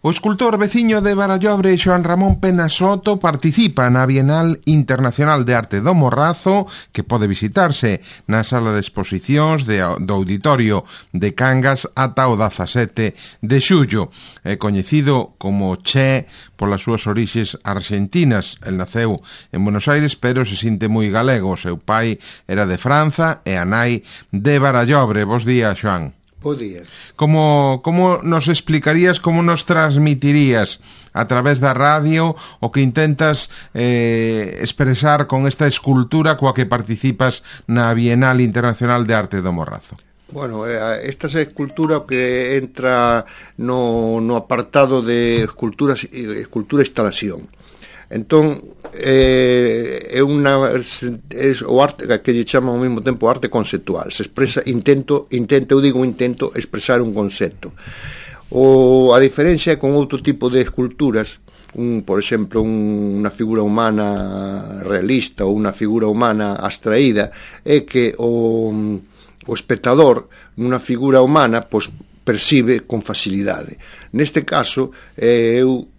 O escultor veciño de Barallobre, Xoán Ramón Pena Soto, participa na Bienal Internacional de Arte do Morrazo, que pode visitarse na sala de exposicións do Auditorio de Cangas ata o 17 de xullo. É coñecido como Che polas súas orixes arxentinas. El naceu en Buenos Aires, pero se sinte moi galego. O seu pai era de Franza e a nai de Barallobre. Bos días, Xoán. Bo día. Como nos explicarías, como nos transmitirías a través da radio o que intentas expresar con esta escultura coa que participas na Bienal Internacional de Arte do Morrazo? Bueno, esta é a escultura que entra no apartado de escultura instalación. Entón, é o arte que lle chama ao mesmo tempo arte conceptual. Se expresa, intento expresar un concepto. A diferencia é con outro tipo de esculturas, por exemplo, unha figura humana realista ou unha figura humana abstraída, é que o espectador nunha figura humana pois percibe con facilidade. Neste caso, eu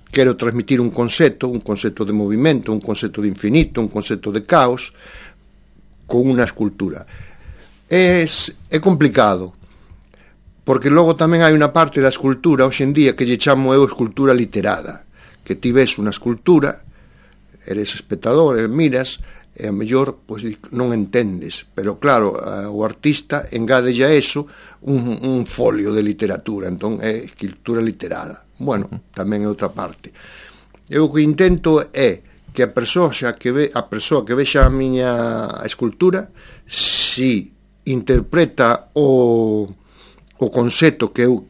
quero transmitir un concepto de movimento, un concepto de infinito, un concepto de caos con unha escultura. É complicado, porque logo tamén hai unha parte da escultura hoxe en día que lle chamo eu escultura literada, que ti ves unha escultura, eres espectador, miras, e a mellor pois, non entendes, pero claro, o artista engadelle a eso un folio de literatura, entón é escultura literada. Bueno, tamén é outra parte. Eu o que intento é que a persoa que vexa a miña escultura, si interpreta o concepto que eu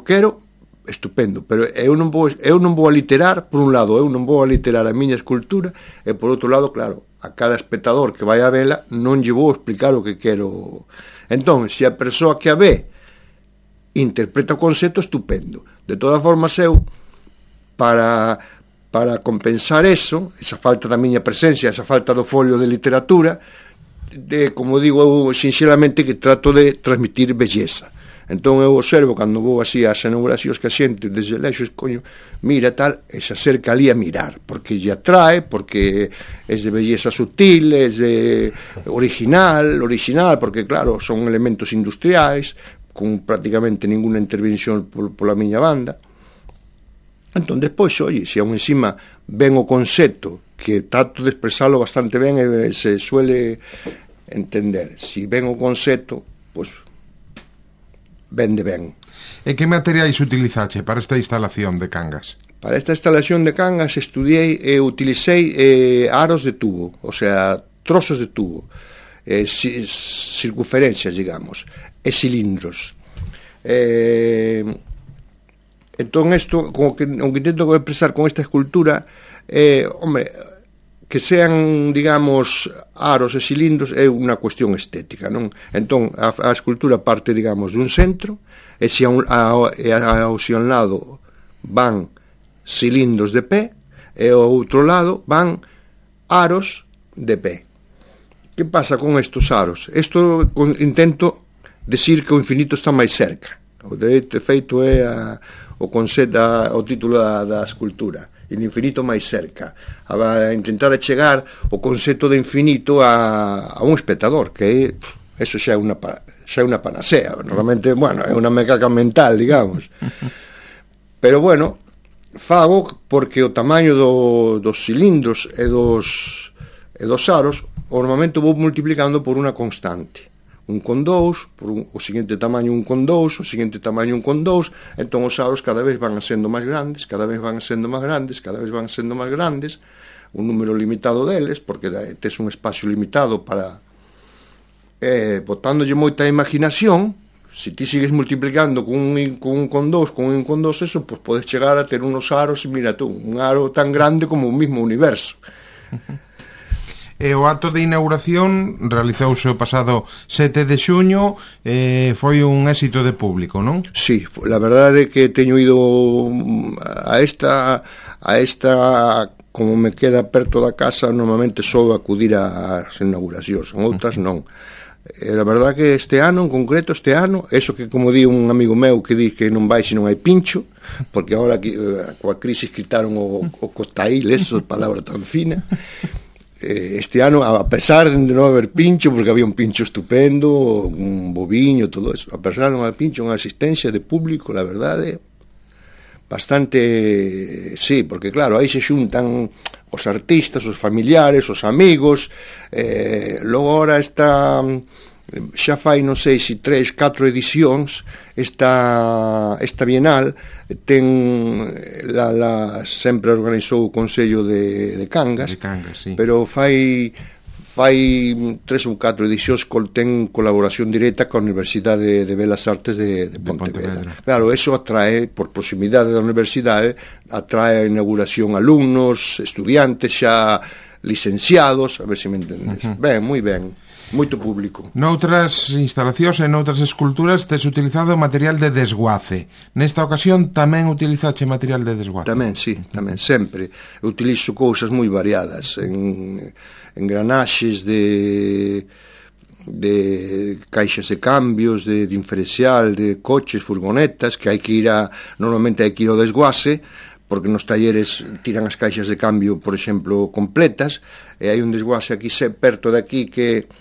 quero, estupendo, pero eu non vou a literar, por un lado, eu non vou a literar a miña escultura, e por outro lado, claro, a cada espectador que vai a vela non lle vou explicar o que quero. Entón, se a persoa que a ve interpreta o concepto, estupendo. De todas formas, eu para compensar esa falta da miña presencia, esa falta do folio de literatura, como digo, eu sinxelamente que trato de transmitir belleza. Entón eu observo cando vou así ás inauguracións que a xente desde lexo mira tal, e se acerca ali a mirar, porque lle atrae, porque é de belleza sutil, é de original, porque claro, son elementos industriais, con prácticamente ninguna intervención pola miña banda. Entón, despois, se aún encima ven o concepto, que trato de expresalo bastante ben e se suele entender. Si ven o concepto, pois, vende ben. E que materiais utilizache para esta instalación de Cangas? Para esta instalación de Cangas utilicei aros de tubo, o sea, trozos de tubo, circunferencias, digamos, e cilindros. Entón, isto, o que intento expresar con esta escultura, que sean, digamos, aros e cilindros é unha cuestión estética, non? Entón, a escultura parte, digamos, dun centro, e se ao lado van cilindros de pé, e ao outro lado van aros de pé. Que pasa con estes aros? Isto intento decir que o infinito está máis cerca. O de feito é o título da escultura, el infinito máis cerca, a intentar chegar o concepto de infinito a un espectador, que eso xa é unha panacea. Normalmente, bueno, é unha mecaca mental, digamos. Pero bueno, fago porque o tamaño dos cilindros e dos aros normalmente vou multiplicando por unha constante. 1 con 2, o seguinte tamaño 1 con 2, o seguinte tamaño 1 con 2, entón os aros cada vez van sendo máis grandes, un número limitado deles, porque tes un espacio limitado para botándolle moita imaginación. Se ti sigues multiplicando con 1 con 2, eso, pues podes chegar a ter unos aros, mira tú, un aro tan grande como o mismo universo. E o acto de inauguración realizouse o pasado 7 de xuño, foi un éxito de público, non? Sí, la verdade é que teño ido a esta, como me queda perto da casa, normalmente só acudir ás inauguracións, outras non. A verdad que este ano, en concreto, eso que como di un amigo meu que di que non vai se non hai pincho, porque agora coa crisis quitaron o cotail, esa palabra tan fina. Este ano, a pesar de non haber pincho, porque había un pincho estupendo, un boviño, todo eso, a pesar de non haber pincho, unha asistencia de público, la verdade, bastante, sí, porque claro, aí se xuntan os artistas, os familiares, os amigos, logo ahora está, xa fai non sei se 3-4 edicións esta Bienal ten sempre organizou o Consello de Cangas, sí. pero fai 3 ou 4 edicións ten colaboración directa coa Universidade de Belas Artes de Pontevedra. Claro, eso atrae, por proximidade da universidade, atrae a inauguración alumnos, estudiantes xa licenciados, a ver se me entendes. Ben, moi ben. Moito público. Noutras instalacións e noutras esculturas tes utilizado material de desguace. Nesta ocasión tamén utilizache material de desguace? Tamén, sí, tamén, sempre. Utilizo cousas moi variadas, engranaxes de caixas de cambios, de diferencial, de coches, furgonetas, que normalmente hai que ir ao desguace, porque nos talleres tiran as caixas de cambio, por exemplo, completas, e hai un desguace aquí perto de aquí que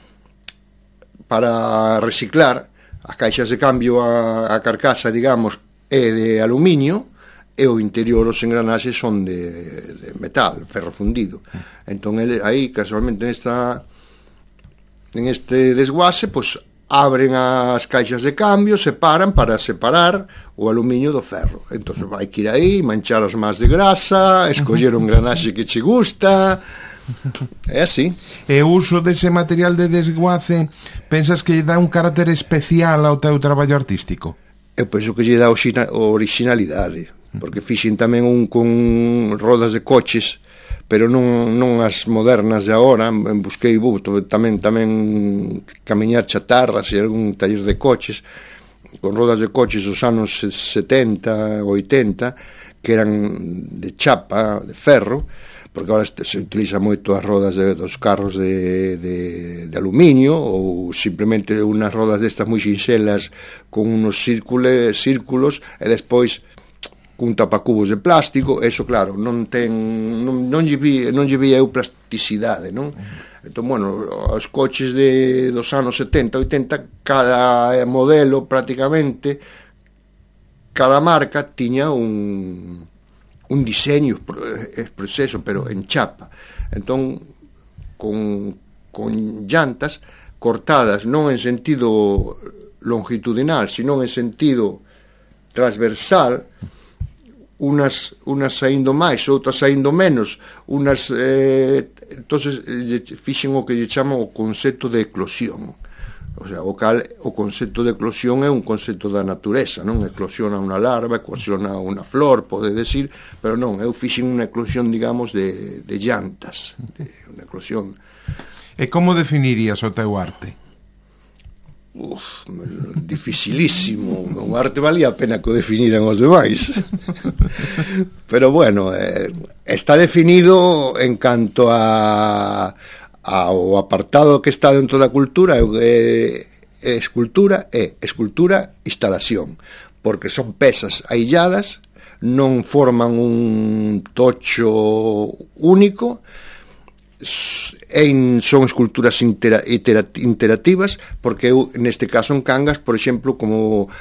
para reciclar as caixas de cambio, a carcasa, digamos, é de aluminio e o interior, os engranaxes son de metal, ferro fundido. Entón, aí, casualmente, en este desguace, pois, abren as caixas de cambio, separan para separar o aluminio do ferro. Entón, vai que ir aí, manchar as más de grasa, escoller un engranaxe que che gusta. É así. E o uso dese material de desguace pensas que lle dá un carácter especial ao teu traballo artístico? Eu penso que lle dá originalidade, porque fixen tamén un con rodas de coches, pero non as modernas de agora. Busquei tamén camiñar chatarras e algún taller de coches con rodas de coches dos anos 70, 80, que eran de chapa, de ferro, porque agora se utiliza moito as rodas dos carros de aluminio, ou simplemente unhas rodas destas moi sinxelas con unos círculos e despois cun tapacubos de plástico. Eso, claro, non lle vi eu plasticidade, non? Entón, bueno, os coches dos anos 70, 80, cada modelo prácticamente, cada marca tiña un diseño proceso, pero en chapa. Entón, con llantas cortadas non en sentido longitudinal, sino en sentido transversal, unas saindo máis, outras saindo menos, entonces fixen o que lle chama o concepto de eclosión. O sea, o concepto de eclosión é un concepto da natureza, non? Eclosiona unha larva, eclosiona unha flor, pode decir, pero non, eu fixen unha eclosión, digamos, de llantas, unha eclosión. E como definirías o teu arte? Dificilísimo. O arte valía a pena que o definiran os demais. Pero bueno, está definido en canto ao apartado que está dentro da cultura, escultura instalación, porque son pezas ailladas, non forman un tocho único, son esculturas interactivas, porque eu, neste caso en Cangas, por exemplo, como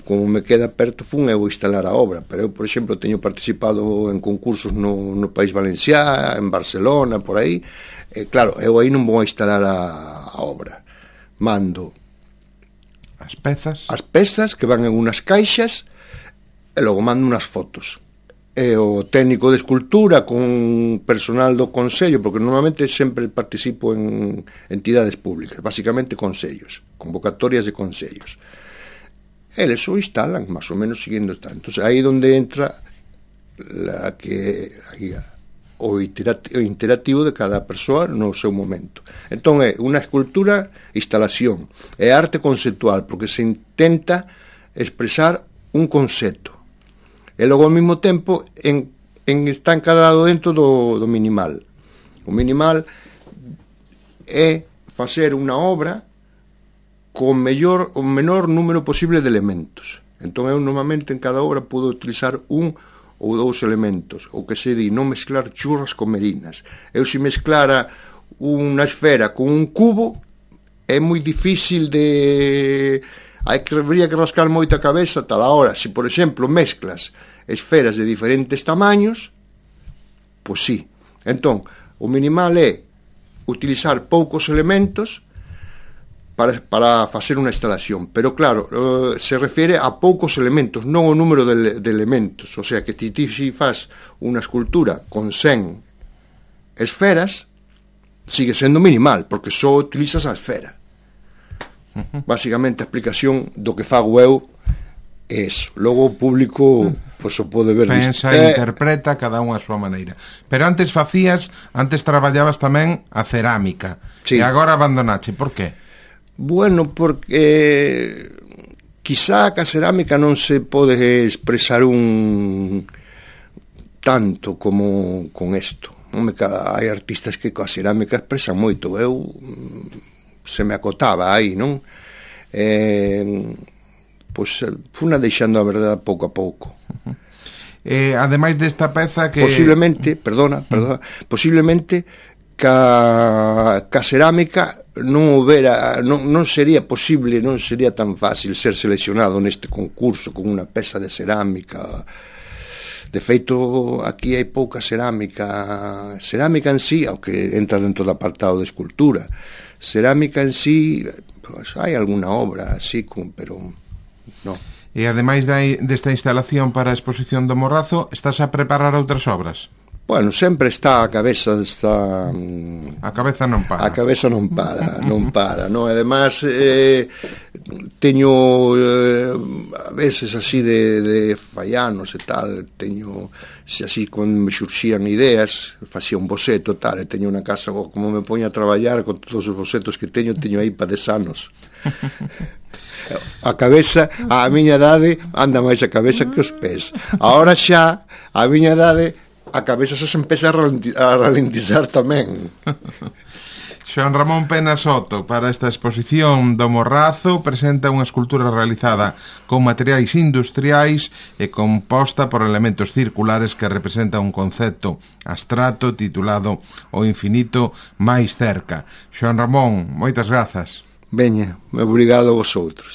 me queda perto, fun eu instalar a obra, pero eu, por exemplo, teño participado en concursos no País Valenciá, en Barcelona, por aí. Claro, eu aí non vou a instalar a obra, mando as pezas que van en unas caixas e logo mando unas fotos, e o técnico de escultura con personal do Consello, porque normalmente sempre participo en entidades públicas, basicamente consellos, convocatorias de consellos, eles o instalan máis ou menos siguiendo esta. Entón, aí onde entra o interactivo de cada persoa no seu momento. Entón é unha escultura instalación, é arte conceptual, porque se intenta expresar un concepto e logo ao mesmo tempo está encadrado dentro do minimal. O minimal é facer unha obra o menor número posible de elementos. Entón eu normalmente en cada obra podo utilizar un ou dous elementos, o que se di non mezclar churras con merinas. Eu se mezclara unha esfera con un cubo é moi difícil de... habría que rascar moito a cabeza tal a hora. Se, por exemplo, mezclas esferas de diferentes tamaños, pois sí. Entón, o minimal é utilizar poucos elementos para facer unha instalación, pero claro, se refere a poucos elementos, non o número de elementos, o sea que ti faz unha escultura con 100 esferas, sigue sendo minimal, porque só utilizas a esfera. Básicamente a explicación do que fago eu é eso. Logo o público pois o pode ver pensa e interpreta cada unha a súa maneira. Pero antes traballabas tamén a cerámica, sí. E agora abandonache, por qué? Bueno, porque quizá ca cerámica non se pode expresar un tanto como con isto. Hai artistas que coa cerámica expresan moito. Eu se me acotaba aí, non? Pois funa deixando a verdade pouco a pouco. Ademais desta peza que... Posiblemente ca cerámica non sería posible, non sería tan fácil ser seleccionado neste concurso con unha peza de cerámica. De feito, aquí hai pouca cerámica en sí, aunque entra dentro do apartado de escultura. Cerámica en sí, pues, hai alguna obra así, pero non. E ademais desta instalación para a exposición do Morrazo, estás a preparar outras obras? Bueno, sempre está a cabeza A cabeza non para. A cabeza non para, non? Además, teño a veces así de fallanos e tal, teño, se así, cando me xurxían ideas, facía un boceto tal, e teño unha casa, como me poño a traballar con todos os bocetos que teño aí para 10 anos. A cabeza, a miña idade, anda máis a cabeza que os pés. Agora xa, a miña idade, a cabeza xa se empeza a ralentizar tamén. Xoán Ramón Pena Soto, para esta exposición do Morrazo, presenta unha escultura realizada con materiais industriais e composta por elementos circulares que representa un concepto abstracto titulado O infinito máis cerca. Xoán Ramón, moitas grazas. Veña, obrigado a vosotros.